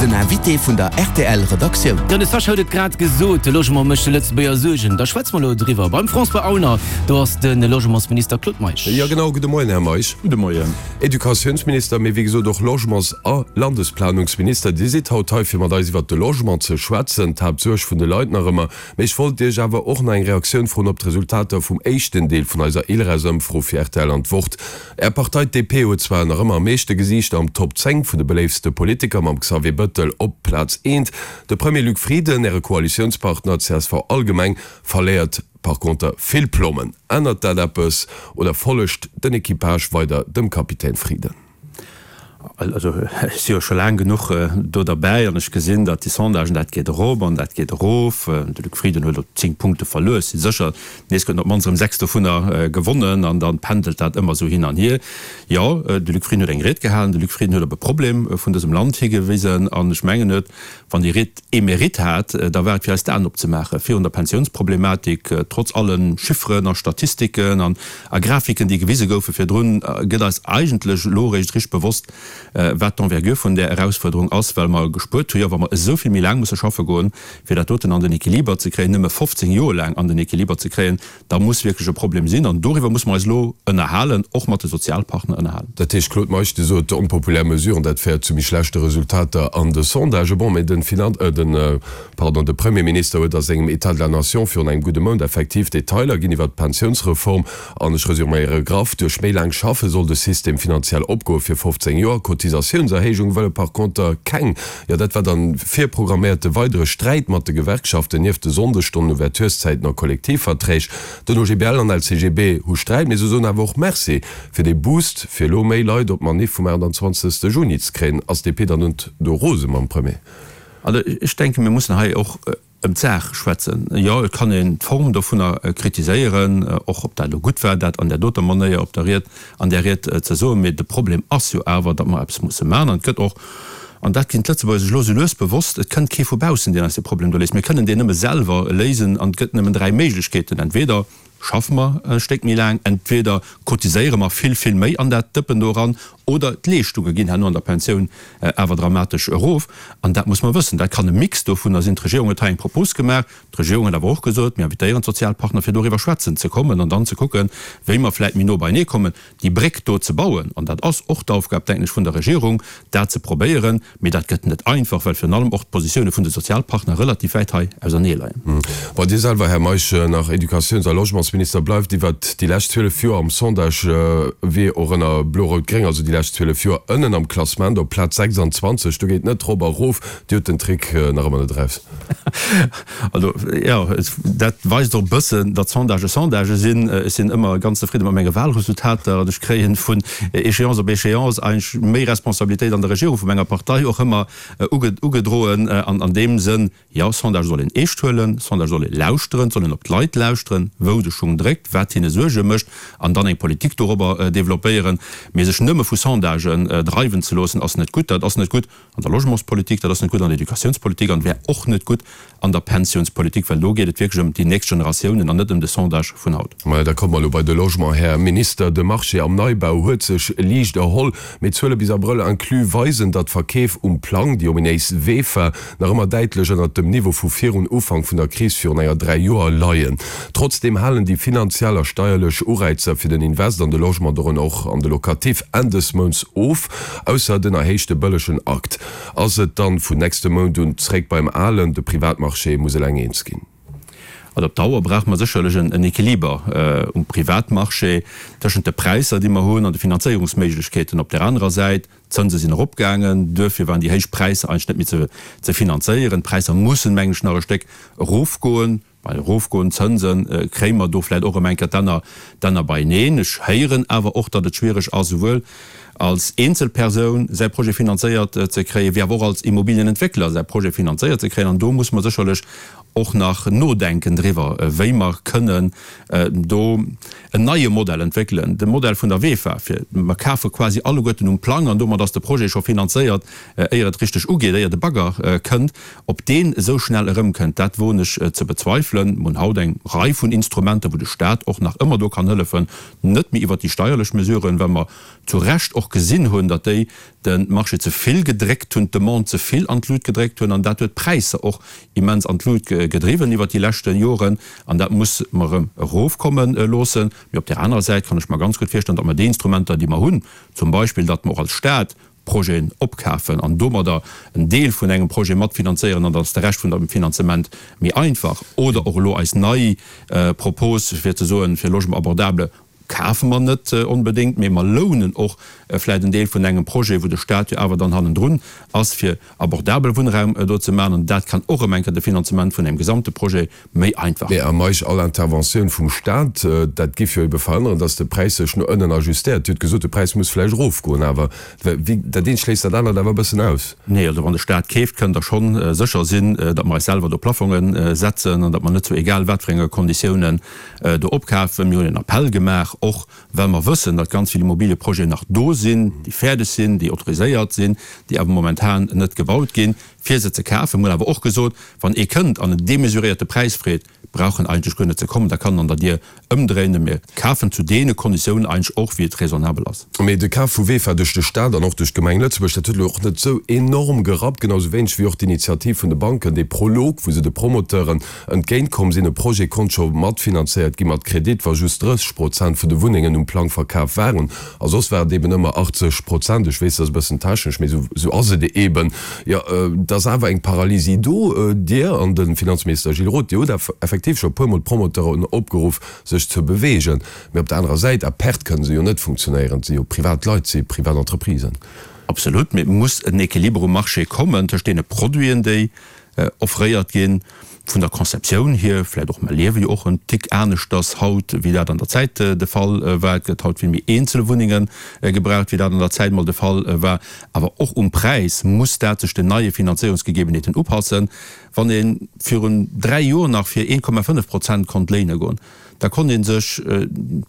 Den Invité vun der rtl Redaktioun. Jo, de Sascha huet et grad gesot, de Logement mécht de Lëtzebuerger Suergen. Da schwätze mer elo driwwer beim François Aulner. Do ass de Logementsminister Claude Meisch. Jo genau, gudde Moien Här Meisch. Gudde Moien. Educatiounsminister, mee wéi gesot och Logements a Landesplanungsminister. Dir sidd haut hei fir mat eis iwwert de Logement ze schwätzen, d'Haaptsuerg vun de Leit nach ëmmer. Mee ech wollt Iech awer och nach eng Reaktioun froen op d'Resultater vum éischten Deel vun eiser ILReS-Ëmfro fir rtl an d'Wort. Är Partei, d'DP, huet zwar nach ëmmer am meeschte Gesiichter am Top 10 vun de beléiftste Politiker, mam Xavier Bëttel op Plaz eent. De Premier Luc Frieden, Äre Koalitiounspartner, csv allgemeng, verléiert par conter vill Plommen. Ännert dat eppes oder follegt den Equipage weider dem Kapitän Frieden? Also ech si jo scho laang genuch do derbäi an ech gesinn, datt déi Sondagen, dat geet erop an dat geet erof. De Luc Frieden huet elo 10 Punkte verluer. Ech si sécher, nees gëtt en op d'mannst erëm 6 dovunner gewonnen an da pendelt dat ëmmer esou hin an hier. Jo, de Luc Frieden huet eng Ried gehalen. De Luc Frieden huet op e Problem vun dësem Land higewisen an ech mengen, huet, wann déi Ried ee Mérite hat, da war et fir eis d'Aen opzemaache virun der Pensiounsproblematik. Trotz alle Chifferen a Statistiken an a Grafiken, déi gewise goufe virdrun, gëtt eis eigentlech elo eréischt richteg bewosst, wat d'Envergure vun där Erausfuerderung ass, well mer gespuert hu jo, wa mer esou vill méi laang musse schaffe goen, fir dat doten an den Equiliber ze kréien, nëmme 15 Joer laang an den Equiliber ze kréien, da muss wierklech e Problem sinn. An doriwwer musse mer eis elo ënnerhalen, och mat de Sozialpartner ënnerhalen. Dat heescht, Claude Meisch, Dir sot, onpopulär Mesuren, dat féiert zu méi schlechte Resultater an de Sondagen. Bon, mä den Finan-, den, Pardon, de Premierminister huet a sengem État de la nation virun engem gudde Mount effektiv Detailer ginn iwwert d'Pensiounsreform. An ech resuméiere graff, Duerch méi laang Schaffe soll de System finanziell opgoe fir 15 Joer. Cotisatiounserhéijung wëlle par conter keng. Jo, dat war dann virprogramméierte weidere Sträit mat de Gewerkschaften, nieft de Sonndesstonnen, Ouvertureszäiten a Kollektivverträg. Den OGBL an LCGB hu Sträit, mee se soen awer och Merci fir dee Boost, fir elo méi Leit op d'Manif vum 28. Juni ze kréien. Ass d'DP dann net do rose mam Premier? Also ech denken, mir mussen hei och ëm d'Saach schwätzen. Jo, et kann een d'Form dovunner kritiséieren, och ob dat elo gutt war, dat an där doter Manéier op der Ried, an där Ried ze soen. Mee de Problem ass jo awer, datt mer eppes musse maachen. An et gëtt och, an dat ginn d'Lëtzebuerger sech elo sou lues bewosst, et kënnt kee vu baussen, deen eis dee Problem do léist. Mir kënnen deen nëmme selwer léisen. An et gëtt nëmmen dräi Méiglechkeeten, Entweder schaffe mer e Stéck méi laang, entweder cotiséiere mer vill, vill méi an dat Dëppen do eran, oder d'Leeschtunge ginn herno an der Pensioun awer dramatesch erof. An dat muss mer wëssen. Dat kann e Mix dovunner sinn. D'Regierung huet hei eng Propos gemaach. D'Regierung huet awer och gesot, mir invitéieren d'Sozialpartner, fir doriwwer schwätzen ze kommen an dann ze kucken, wéi mer vläicht méi no beienee kommen. déi Bréck do ze bauen, an dat ass och d'Aufgab, denken ech, vun der Regierung, dat ze probéieren, mee dat gëtt net einfach, well virun allem och d'Positioune vun de Sozialpartner relativ wäit hei ausernee leien. Bon, Dir selwer, Här Meisch, nach Educatiouns a Logementsminister, bleift iwwert déi lescht 12 Joer am Sondage, wéi och ënner Blo-Rout-Gréng, also déi lescht 12 Joer, ënnen am Klassement op Plaz 26. Do geet net rop a rof. Dir hutt den Trick nach ëmmer net eraus. Also, jo, dat weist och e bëssen, datt Sondagë Sondagë sinn. Ech sinn ëmmer ganz zefridde mat menge Wahlresultater an ech kréien vun Échéance op Échéance eigentlech méi Responsabilitéit an der Regierung vu menger Partei och ëmmer ugedroen. An an deem Sënn, jo, Sondagë soll een eescht huelen, Sondagë soll ee lauschteren, et soll een op d'Leit lauschteren, wou de Schung dréckt, wat hinne Suerge mécht an dann eng Politik dorobber développéieren. Mee sech nëmme vu Sondagen dreiwen ze loossen, ass net gutt. Dat ass net gutt an der Logementspolitik, dat ass net gutt an der Educatiounspolitik an wär och net gutt an der Pensiounspolitik, well do geet et wierklech ëm déi nächst Generatiounen an net ëm de Sondage vun haut. Majo, da komme mer elo bei de Logement, Här Minister. De Marché am Neibau huet sech liicht erholl, mee d'Zuele bis Abrëll inclus weisen, datt d'Verkeef um Plang, déi ominéis VEFA, nach ëmmer däitlech ënnert dem Niveau vu virun Ufank vun der Kris virun enger 3 Joer leien. Trotzdeem halen déi finanziell a steierlech Ureizer fir den Invest an de Logement, dorënner och an de Locatif, Enn dës Mounts of. Ausser den erhéichte bëllegen Akt. Ass et dann vun nächstem Mount un zréck beim Alen? De Privatmarché muss eleng eens ginn. Also op Dauer brauche mer sécherlech en Equiliber um Privatmarché tëschent de Präisser, déi mer hunn, an de Finanzéierungsméiglechkeeten op där anerer Säit. D'Zënse sinn eropgaangen, duerfir waren déi héich Präisser eigentlech net méi ze finanzéieren. D'Präisser mussen, mengen ech, nach e Stéck erofgoen. Bei erofgoend Zënse kréie mer do vläicht och erëm eng Kéier d'Enner, d'Enner beieneen. Ech héieren awer och, datt et schwiereg ass, souwuel als Eenzelpersoun säi Projet finanzéiert ze kréien, wéi awer och als Immobilienentwéckler säi Projet finanzéiert ze kréien. An do muss mer sécherlech och nach nodenken driwwer, wéi mer kënnen do en neie Modell entwéckelen, de Modell vun der VEFA, fir mer kafe quasi alleguerten um Plang an domat ass de Projet scho finanzéiert, éier et richteg ugeet, éier de Bagger kënnt. Ob deen esou schnell erëmkënnt, dat woen ech ze bezweifelen. Mer hunn haut eng Rei vun Instrumenter, wou de Stat och nach ëmmer do kann hëllefen, net méi iwwert déi steierlech Mesuren, well mer zu Recht och. och gesinn hunn, datt déi de Marché ze vill gedréckt hunn, d'Demande ze vill an d'Lut gedréckt hunn an dat huet d'Präisser och immens an d'Lut gedriwwen iwwert déi leschte Joren an dat muss mer erëm erofkomme loossen. Mee op där anerer Säit kann ech mer ganz gutt virstellen, datt mer déi Instrumenter, déi mer hunn, zum Beispill datt mer och als Stat Projeten opkafen an domadder en Deel vun engem Projet matfinanzéieren an dann ass de Rescht vun dem Finanzement méi einfach, oder och elo eis nei Propos fir ze soen, fir Logement abordable kafe mer net onbedéngt, mee mer lounen och vläicht en Deel vun engem Projet, wou de Stat jo awer dann hannendrun ass, fir abordabel Wunnraum do ze maachen. An dat kann och erëm eng Kéier de Finanzement vun engem gesamte Projet méi einfach Mee a Meisch, all Interventioun vum Stat, dat giff jo ebe verhënneren, datt de Präis sech no ënnen ajustéiert. Dir hutt gesot, de Präis muss vläicht erofgoen, awer wéi, dat eent schléisst dat anert awer e bëssen aus. Nee, also wann de Stat keeft, kënnt Der schonn sécher sinn, datt mer eis selwer do Plafonge setzen an datt mer net zu egal wat fir enge Konditiounen do opkafen. Mir hunn en Appell gemaach, och well mer wëssen, datt ganz vill Immobilieprojeten nach do sinn, déi fäerdeg sinn, déi autoriséiert sinn, déi awer momentan net gebaut ginn, fir se ze kafen. Mir hunn awer och gesot, wann ee kënnt an en demesuréierte Präis freet, brauch en eigentlech guer net ze kommen, da kann en an der Dier ëmdréinen. Mir kafen zu deene Konditiounen eigentlech och, wéi et raisonnabel ass. Mee de Kaf vu Vefa duerch de Staat an och duerch d'Gemeng Lëtzebuerg, dat huet elo och net esou enorm gerappt, genau esou wéineg wéi och d'Initiativ vun de Banken, dee Prolog, wou se de Promoteuren entgéint komm sinn. E Projet konnt scho matfinanzéiert gi mat Kredit, wa just 30 Prozent vun de Wunnengen um Plang verkaf waren. A soss war et eben ëmmer 80 Prozent. Ech weess, dat ass e bëssen technesch, mee esou ass et eben. Jo, et ass awer eng Paralysie do. Dir an de Finanzminister Gilles Roth, Dir hutt effektiv scho e puermol d'Promoteuren opgeruff, sech ze beweegen. Mee op der anerer Säit, à perte kënne se jo net funktionéieren. Et si jo privat Leit, et si privat Entreprisen. Absolut, mee et muss en Equiliber um Marché kommen tëscht deene Produiten, déi offréiert ginn, vun der Conceptioun hier vläicht och, mer liewe jo och en Tick aneschters haut, wéi dat an der Zäit de Fall war, et gëtt haut vill méi eenzel Wunnenge gebraucht, wéi dat an der Zäit mol de Fall war, awer och um Präis muss dat sech den neie Finanzéierungsgegebenheeten upassen. Wann ee virun 3 Joer nach fir 1,5 Prozent konnt léine goen, da konnt ee sech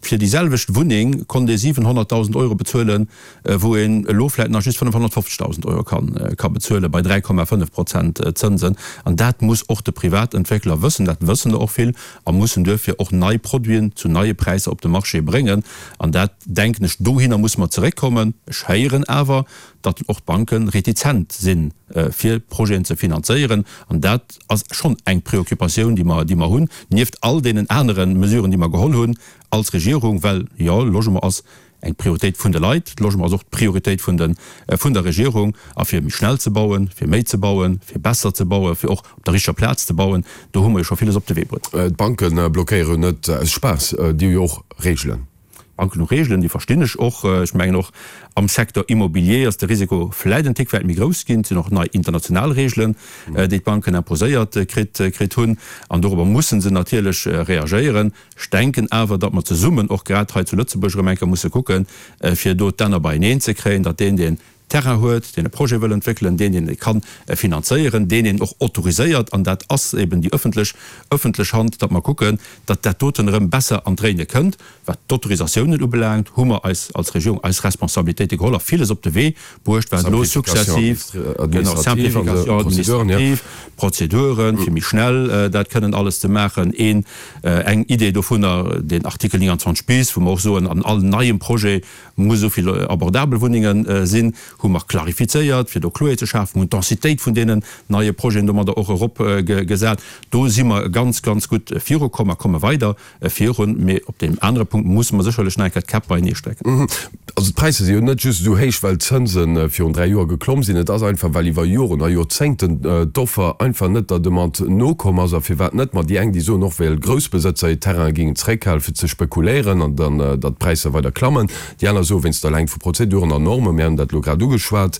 fir déi selwecht Wunneng konnt ee 700.000 Euro bezuelen, wou een elo vläicht nach just 550.000 Euro ka bezuele bei 3,5 Prozent Zënsen. An dat muss och de Privatentwéckler wëssen, dat wëssen der och vill a mussen duerfir och nei Produiten zu neie Präisser op de Marché bréngen. An dat, denken ech, dohinner musse mer zeréckkommen. Ech héieren awer, datt och d'Banke retizent sinn, fir Projeten ze finanzéieren. An dat ass schonn eng Préoccupatioun, déi mer, déi mer hunn, nieft all deenen anere Mesuren, déi mer geholl hunn als Regierung, well, jo, Logement ass eng Prioritéit vun de Leit, Logement ass och d'Prioritéit vun de, vun der Regierung. A fir méi schnell ze bauen, fir méi ze bauen, fir besser ze bauen, fir och op der richteger Plaz ze bauen, do hu mer jo scho villes op de Wee bruet. D'Banke blockéiere jo net aus Spaass, déi hu jo och Regelen. Banken hu Reegelen, déi verstinn ech och. Ech mengen och am Secteur immobilier ass de Risiko vläit en Tick wäit méi grouss ginn. Et sinn och nei international Reegelen, déi d'Banken imposéiert kritt kritt hunn an dorobber musse se natierlech reagéieren. Ech denken awer, datt mer zesummen och grad hei zu Lëtzebuerg erëm eng Kéier musse kucken, fir do d'Enner beieneen ze kréien, datt deen, deen Terrain huet, deen e Projet wëll entwéckelen, deen, deen e ka finanzéieren, deen een och autoriséiert, an dat ass eben déi öffentlech, öffentlech Hand, datt mer kucken, datt dat doten erëm besser an d'Réine kënnt. Wat d'Autorisatiounen ubelaangt, hu mer eis als Regierung eis Responsabilitéite geholl a villes op de Wee bruecht, wat elo successiv, genau, Simplification administrative, Prozeduren, fir méi schnell dat kënnen alles ze maachen. Een, eng Idee dovunner, den Artikel 29 bis, wou mer och soen, an all neiem Projet muss esou vill abordabel Wunnenge sinn, hu mer klarifizéiert, fir do Kloerheet ze schafen, hunn d'Densitéit vun deenen neie Projeten domadder och eropgesat. Do si mer ganz, ganz gutt virukomm a komme weider virun. Mee op deem anere Punkt musse mer sécherlech nach eng Kéier d'Käpp beienee strecken. Also d'Präisser si jo net just esou héich, well d'Zënse virun 3 Joer geklomm sinn. Et ass einfach, well iwwer Joren a Joerzéngten d'Offer einfach net der Demande nokomm ass. A firwat net? Ma déi eng, déi soen och, well Groussbesëtzer hir Terraine géingen zeréckhalen, fir ze spekuléieren an dann, datt d'Präisser weider klammen. Déi aner soen, wéinst der Längt vu Prozeduren an Normen. Mir hunn dat elo grad ugeschwat.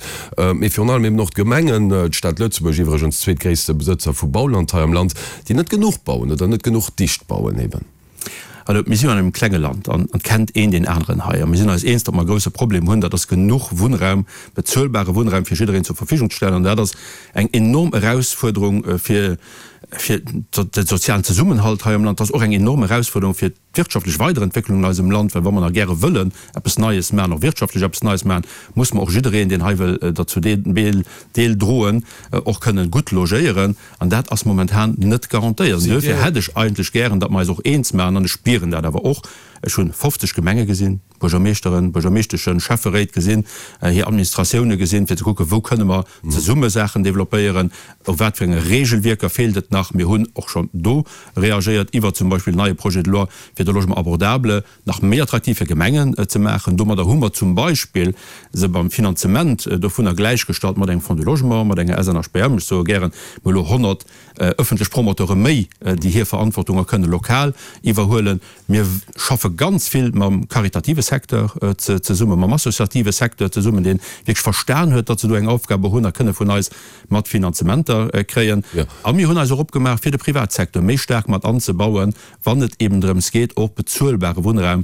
Mee virun allem eben och d'Gemengen, d'Stad Lëtzebuerg iwwregens zweetgréisste Besëtzer vu Bauland hei am Land, déi net genuch bauen oder net genuch dicht bauen eben. Also mir sinn an engem klenge Land an et kennt een deen aneren hei. A mir sinn eis eens, datt mer e grouse Problem hunn, dat ass genuch Wunnraum, bezuelbare Wunnraum fir jiddereen zur Verfügung ze stellen. An dat ass eng enorm Erausfuerderung fir fir de sozialen Zesummenhalt hei am Land. Dat ass och eng enorm Erausfuerderung fir d'wirtschaftlech Weiderentwécklung an eisem Land, well wa mer nach gäre wëllen eppes Neies maachen, och wirtschaftlech eppes Neies maachen, muss mer och jiddereen, deen hei wëll derzou Deel droen, och kënnen gutt logéieren. An dat ass momentan net garantéiert. An duerfir hätt ech eigentlech gären, datt mer eis och eens maachen, an ech spieren dat awer och. Ech hu 50 Gemenge gesinn, Buergermeeschteren, Buergermeeschteschen, Schäfferéit gesinn, hir Administratioune gesinn, fir ze kucken, wou kënne mer zesumme Saachen developpéieren, u wat fir enge Regelwierker feelt et nach. Mir hunn och schonn do reagéiert iwwer zum Beispill en neie Projet de loi fir de Logement abordable nach méi attraktiv fir Gemengen ze maachen. Domadder hu mer zum Beispill se beim Finanzement dovunner gläichgestallt mat engem Fonds du Logement, mat enger SNHBM. Ech soe gären, mir hu elo 100 ëffentlech Promoteure méi, déi hir Verantwortung och kënne lokal iwwerhuelen. Mir schaffe ganz vill mam karitative Secteur zesummen, mam associative Secteur zesummen, dee wierklech verstan huet, datt se do eng Aufgabe hunn a kënne vun eis mat Finanzementer kréien. A mir hunn eis och opgemaach, fir de Privatsecteur méi staark mat anzebauen, wann et eben drëms geet, och bezuelbare Wunnraum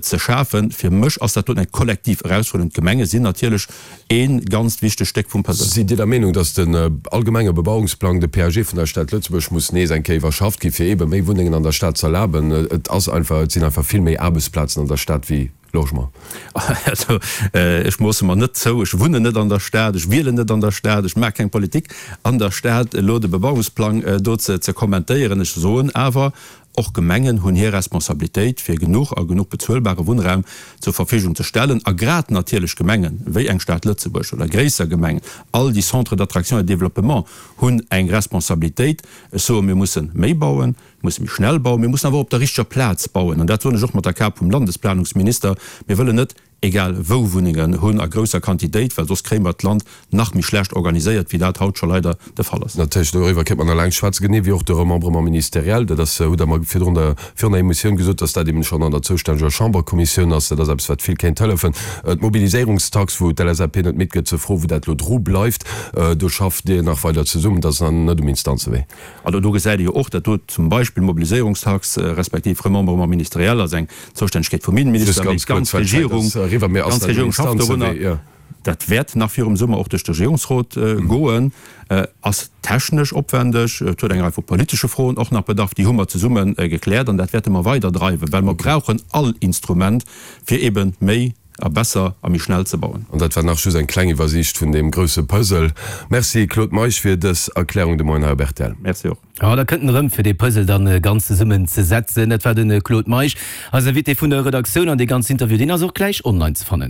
ze schafen. Fir mech ass dat doten eng kollektiv Erausfuerderung. D'Gemenge sinn natierlech ee ganzt wichtegt Stéck vum Puzzle. Sidd Dir der Meenung, datt den allgemenge Bebauungsplang, de PAG vun der Stad Lëtzebuerg, muss nees eng Kéier iwwerschafft ginn, fir eebe méi Wunnengen an der Stad z'erlaben? Et ass einfach, et sinn einfach vill méi Aarbechtsplazen an der Stad wéi Logement. Also, ech moosse mer net zou, ech wunnen net an der Stad, ech wielen net an der Stad, ech maache keng Politik an der Stad, elo de Bebauungsplang do ze kommentéieren. Ech soen awer, Och Gemengen hunn hir Responsabilitéit, fir genuch a genuch bezuelbare Wunnraum zur Verfügung ze stellen. A grad natierlech Gemengen, wéi eng Stad Lëtzebuerg oder gréisser Gemengen, all déi Centres d'attraction et de développement hunn eng Responsabilitéit. Ech soen, mir musse méi bauen, mir musse méi schnell bauen, mir mussen awer och op der richteger Plaz bauen. An dat soen ech och mat der Kap vum Landesplanungsminister. Mir wëllen net egal wou Wunnengen hunn a grousser Quantitéit, well soss kréie mer d'Land nach méi schlecht organiséiert, wéi dat haut scho leider de Fall ass. Natierlech, doriwwer kéint mer nach laang schwätzen, genee wéi och de Remembrement ministériel. Dat ass, hutt Der mer virdrun der, virun der Emissioun gesot, dass dat eben schonn an der zoustänneger Chamberkommissioun ass. Dat ass eppes, wat vill kéint hëllefen. D'Mobiliséierungstax, wou d'LSAP net midd gëtt ze froen, wou dat elo dru bleift, do schafft Dir nach weider zesummen. Dat ass nach net um Instanzewee. Also do gesäit ee jo och, dat do zum Beispill Mobiliséierungstax respektiv Remembrement ministériel ass eng Zoustännegkeet vum Innenminister, mee d'ganz Regierung, d'ganz Regierung schafft dorunner. Dat wäert nach virum Summer och duerch de Regierungsrot goen, ass technesch opwändeg, et huet eng Rei vu politesche Froen och nach bedarf, déi hu mer zesumme gekläert an dat wäerte mer weiderdreiwen, well mer brauchen all Instrument, fir eebe méi A besser a méi schnell ze bauen. An dat war nach just eng kleng Iwwersiicht vun deem grousse Puzzle. Merci Claude Meisch fir dës Erklärung de Moien hei op rtl. Merci och. Jo, da kënnt en erëm, fir dee Puzzle dann ganz zesummen ze setzen. Dat war de Claude Meisch, eisen Invité vun der Redaktioun. An dee ganzen Interview, deen ass och gläich online ze fannen.